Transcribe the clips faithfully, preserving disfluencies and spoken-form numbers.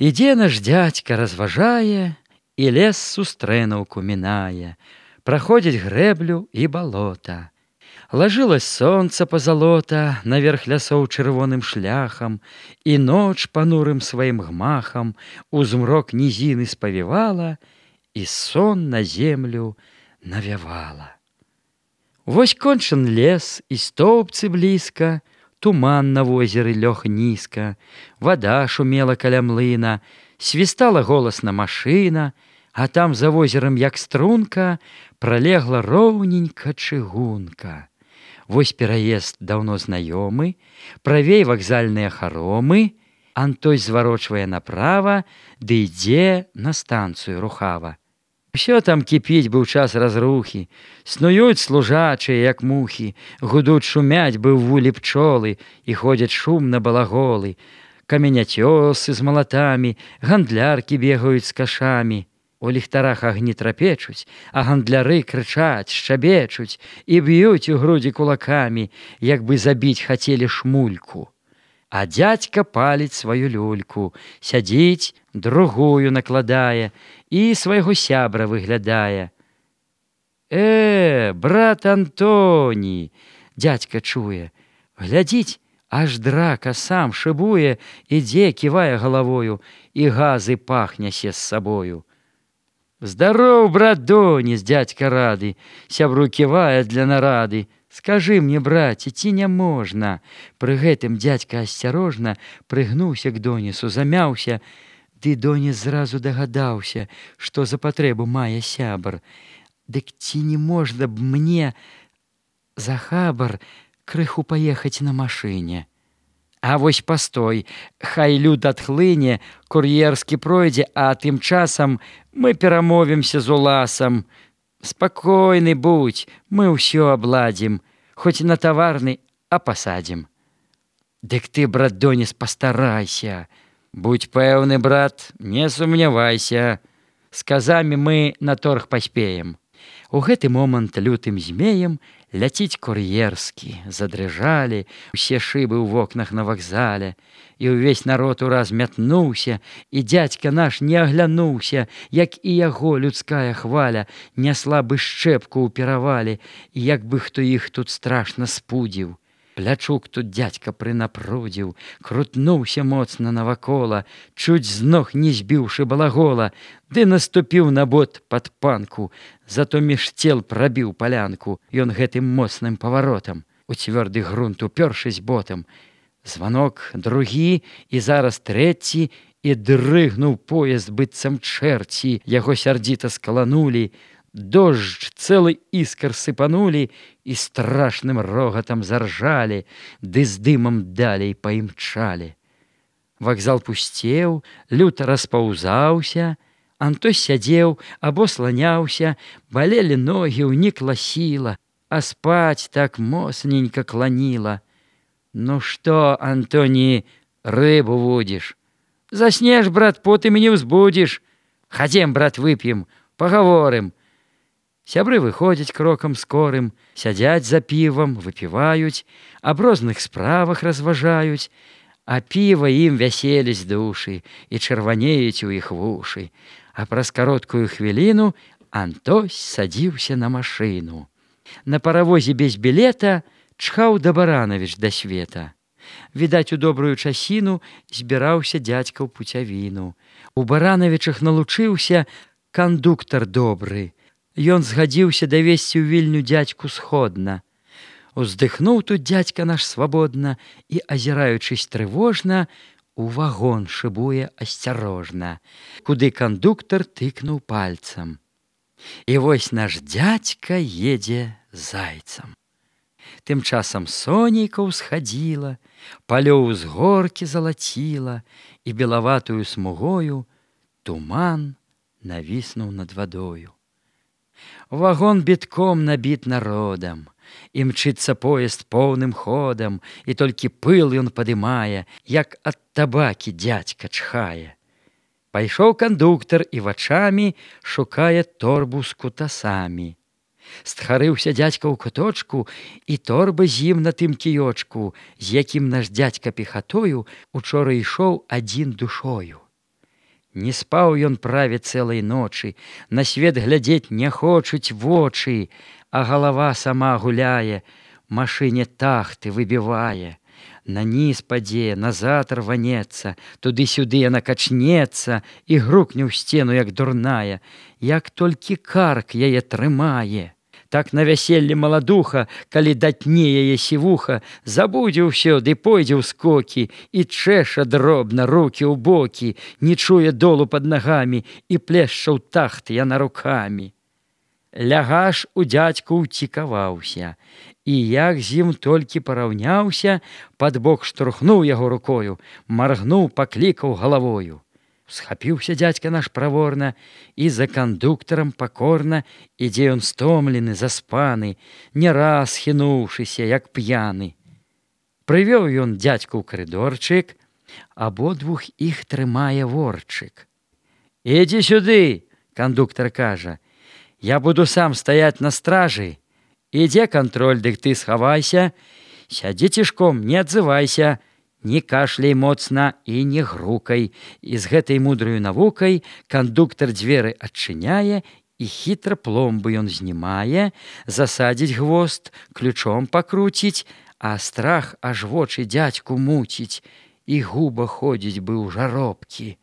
Ідзе наш дзядзька, разважае, і лес сустрэнуўку мінае, праходзіць грэблю і балота. Лажылась сонца пазалота наверх лясоў чырвоным шляхам, і ноч панурым сваім гмахам у змрок нізіны спавівала, і сон на землю навявала. Вось кончан лес, і стоўбцы блізка, туман на возеры лёг нізка, вада шумела каля млына, свістала голасна машына, а там за возерам, як струнка, пралегла роўненька чыгунка. Вось пераезд даўно знаёмы, правей вакзальныя харомы, Антой зварочвае направа, ды ідзе на станцыю рухава. Усё там кіпіць быў час разрухі, снуюць служачыя, як мухі, гудуць шумяць бы ў вулі пчолы, і ходзяць шумна балаголы, каменяцёсы з малатамі, гандляркі бегаюць з кашамі. У ліхтарах агні трапечуць, а гандляры крычаць, шчабечуць і б'юць у грудзі кулакамі, як бы забіць хацелі шмульку. А дзядзька паліць сваю люльку, сядзіць, другую накладае і свайго сябра выглядае. Э, брат Антоні, дзядзька чуе, глядзіць, аж драка сам шыбуе, ідзе, ківае галавою, і газы пах нясе з сабою. Здароў, брат Доніс, дзядзька рады, сябру ківае для нарады. Скажы мне, браце, ці не можна? Пры гэтым дзядзька асцярожна прыгнуўся к Донісу, замяўся, ды Доніс зразу дагадаўся, што за патрэбу мае сябар. Дык ці не можна б мне за хабар крыху паехаць на машыне? А вось пастой, хай люд адхлыне, кур'ерскі пройдзе, а тым часам мы перамовімся з уласам. Спакойны будзь, мы ўсё абладзім, хоць на таварны, а пасадзім. Дык ты, брат Донис, пастарайся. Будь пэўны, брат, не сумнявайся. З казамі мы на торг паспеем. У гэты момант лютым змеем ляціць кур'ерскі, задрыжалі усе шыбы ў вокнах на вакзале, і ўвесь народ ураз мятнуўся, і дзядзька наш не аглянуўся, як і яго людская хваля нясла бы шчэпку ў перавале, як бы хто іх тут страшна спудзіў. Плячук тут дзядзька прынапрудзіў, крутнуўся моцна навакола, чуць з ног не збіўшы балагола, ды наступіў на бот пад панку, зато між цел прабіў палянку ён гэтым моцным паваротам, у цвёрды грунт упёршысь ботам. Званок другі і зараз трэці, і дрыгнуў поезд быццам чэрці, яго сярдзіта скаланулі, дождж цэлы іскар сыпанулі і страшным рогатам заржалі, ды з дымам далей паімчалі. Вакзал пусцеў, люта распаўзаўся, Антой сядзеў або сланяўся, балелі ногі, ўнікла сіла, а спаць так моцненька кланіла. Ну што, Антоні, рыбу вудзіш? Заснеш, брат, потым і не ўзбудзіш. Хадзем, брат, вып'ем, пагаворым. Сябры выходзяць крокам скорым, сядзяць за півам, выпіваюць, аб розных справах разважаюць, а піва ім вяселіць душы і чырванеюць у іх вушы. А праз кароткую хвіліну Антось садзіўся на машыну. На паравозе без білета чхаў да Баранавіч да света. Відаць, у добрую часіну збіраўся дзядзька ў пуцявіну. У Баранавічах налучыўся кандуктар добры. Ён згадзіўся давесці ў Вільню дзядзьку сходна. Уздыхнуў тут дзядзька наш свабодна і, азіраючыся трывожна, у вагон шыбуе асцярожна, куды кандуктар тыкнуў пальцам. І вось наш дзядзька едзе зайцам. Тым часам сонейка ўсхадзіла, палёў з горкі залаціла, і белаватую смугою туман навіснуў над вадою. Вагон бітком набіт народам, імчыцца поезд поўным ходам, і толькі пыл ён падымае, як ад табакі дзядзька чхае. Пайшоў кандуктар і вачамі шукае торбу з кутасамі. Стхарыўся дзядзька ў куточку, і торба з ім на тым кіёчку, з якім наш дзядзька пехатою учора ішоў адзін душою. Не спаў ён праве цэлай ночы, на свет глядзець не хочуць вочы, а галава сама гуляе, машыне тахты выбівае. Наніз падзе, назад рванецца, туды-сюды яна качнецца і грукне ў сцену, як дурная, як толькі карк яе трымае. Так на вяселле маладуха, калі датне яе сівуха, забудзе ўсё, ды пойдзе ў скокі, і чэша дробна рукі ў бокі, не чуе долу пад нагамі, і плешча ў тахт яна рукамі. Лягаш у дзядзьку ўцікаваўся, і як з ім толькі параўняўся, пад бок штурхнуў яго рукою, маргнуў, паклікаў галавою. Схапіўся дзядзька наш праворна, і за кандуктарам пакорна ідзе ён стомлены, заспаны, не раз хінуўшыся, як п'яны. Прывёў ён дзядзьку ў карыдорчык, абодвух іх трымае ворчык. «Ідзі сюды!» – кандуктар кажа. «Я буду сам стаяць на стражы. Ідзе кантроль, дык ты схавайся. Сядзі цішком, не адзывайся. Не кашляй моцна і не грукай». І з гэтай мудраю навукай кандуктар дзверы адчыняе, і хітра пломбы ён знімае, засадзіць гвост, ключом пакруціць, а страх аж вочы дзядзьку муціць, і губа ходзіць бы ў жаробкі.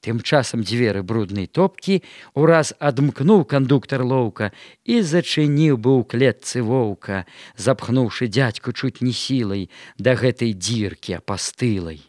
Тым часам дзверы бруднай топкі ураз адмкнуў кандуктар лоўка і зачыніў бы ў клетцы воўка, запхнуўшы дзядзьку чуць не сілай да гэтай дзіркі апастылай.